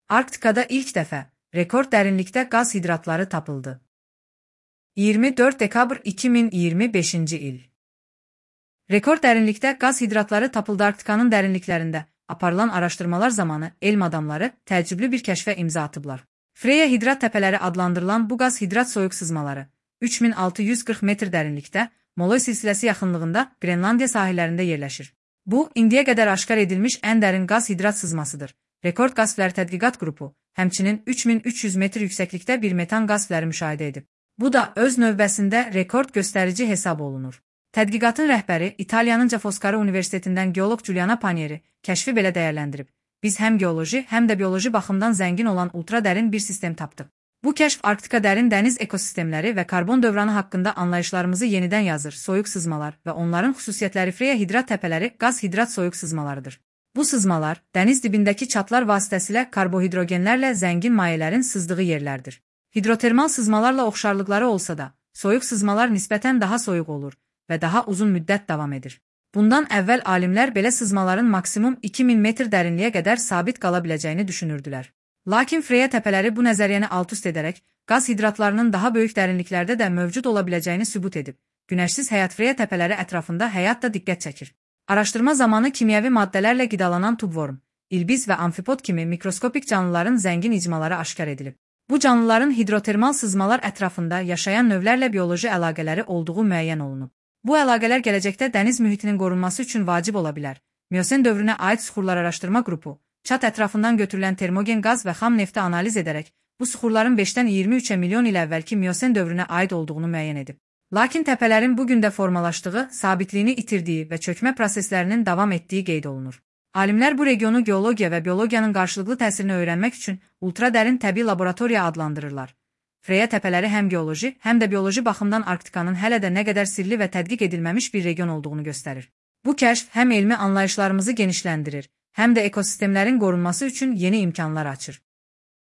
Arktikada ilk dəfə rekord dərinlikdə qaz hidratları tapıldı. 24 dekabr 2025-ci il. Rekord dərinlikdə qaz hidratları tapıldı. Arktikanın dərinliklərində aparılan araşdırmalar zamanı elm adamları təəccüblü bir kəşfə imza atıblar. Freya hidrat təpələri adlandırılan bu qaz hidrat soyuq sızmaları 3640 metr dərinlikdə Molay silsiləsi yaxınlığında Qrenlandiya sahillərində yerləşir. Bu, indiyə qədər aşkar edilmiş ən dərin qaz hidrat sızmasıdır. Rekord qaz fləri tədqiqat qrupu həmçinin 3300 metr yüksəklikdə bir metan qaz fləri müşahidə edib. Bu da öz növbəsində rekord göstərici hesab olunur. Tədqiqatın rəhbəri İtaliyanın Ca' Foscari Universitetindən geoloq Giuliano Panieri kəşfi belə dəyərləndirib. Biz həm geoloji, həm də bioloji baxımdan zəngin olan ultradərin bir sistem tapdıq. Bu kəşf Arktika dərin dəniz ekosistemləri və karbon dövranı haqqında anlayışlarımızı yenidən yazır. Soyuq sızmalar və onların xüsusiyyətləri. Freya hidrat təpələri qaz hidrat soyuq sızmalarıdır. Bu sızmalar dəniz dibindəki çatlar vasitəsilə karbohidrogenlərlə zəngin mayələrin sızdığı yerlərdir. Hidrotermal sızmalarla oxşarlıqları olsa da, soyuq sızmalar nisbətən daha soyuq olur və daha uzun müddət davam edir. Bundan əvvəl alimlər belə sızmaların maksimum 2000 metr dərinliyə qədər sabit qala biləcəyini düşünürdülər. Lakin Freya təpələri bu nəzəriyyəni alt-üst edərək, qaz hidratlarının daha böyük dərinliklərdə də mövcud ola biləcəyini sübut edib. Günəşsiz həyat Freya təpələri ətrafında həyat da diqqət çəkir. Araşdırma zamanı kimyəvi maddələrlə qidalanan tubworm, ilbiz və amfipod kimi mikroskopik canlıların zəngin icmaları aşkar edilib. Bu canlıların hidrotermal sızmalar ətrafında yaşayan növlərlə bioloji əlaqələri olduğu müəyyən olunub. Bu əlaqələr gələcəkdə dəniz mühitinin qorunması üçün vacib ola bilər. Miyosen dövrünə aid suxurlar araşdırma qrupu, çat ətrafından götürülən termogen qaz və xam nefti analiz edərək, bu suxurların 5-dən 23 milyon il əvvəlki Miyosen dövrünə aid olduğunu müəyyən edib. Lakin təpələrin bu gündə formalaşdığı, sabitliyini itirdiyi və çökmə proseslərinin davam etdiyi qeyd olunur. Alimlər bu regionu geologiya və biologiyanın qarşılıqlı təsirini öyrənmək üçün ultradərin təbii laboratoriya adlandırırlar. Freya təpələri həm geoloji, həm də bioloji baxımdan Arktikanın hələ də nə qədər sirli və tədqiq edilməmiş bir region olduğunu göstərir. Bu kəşf həm elmi anlayışlarımızı genişləndirir, həm də ekosistemlərin qorunması üçün yeni imkanlar açır.